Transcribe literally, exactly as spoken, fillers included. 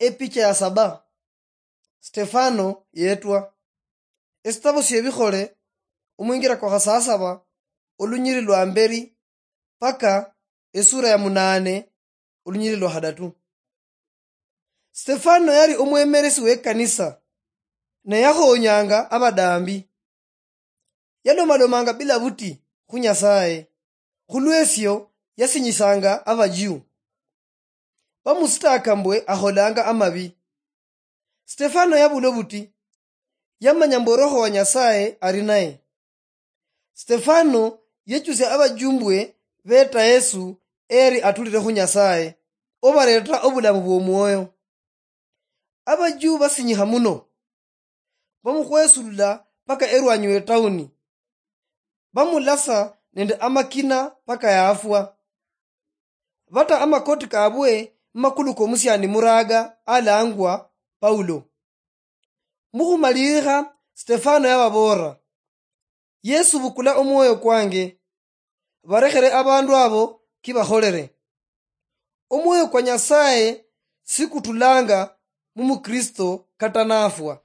Epicha ya saba. Stefano yetwa. Esitabo sy'Ebikhole, omwingira kwa khasasaba, olunyiri lwa mberi, paka esura ya munane, olunyiri lwa khadatu. Stefano yali omwemeresi w'ekanisa, ne yakhonyanga abadambi. Yalomalomanga bila buti khu Nyasaye, khulwesyo yasinyisanga Abajiu. Bamusitaka mbwe akholanga amabi. Stefano yabula obuti, yamanya mbu Roho wa Nyasaye ali naye. Stefano yechusia Abajiu mbwe beta Yesu eri atulire khu Nyasaye, obareta obulamu bw'omwoyo. Abajiu basinyikha muno, bamukhwesulula paka erwanyi we tauni. Bamulasa nende amakina paka yafwa. Bata amakoti kabwe mumakulu komusiani muraga alangwa Paulo. Mukhumalirikha, Stefano yababoolera, "Yesu, bukula omwoyo kwange. Barekhere abandu abo kibakholere." Omwoyo kwa Nyasaye sikutulanga mumukristo kata nafwa.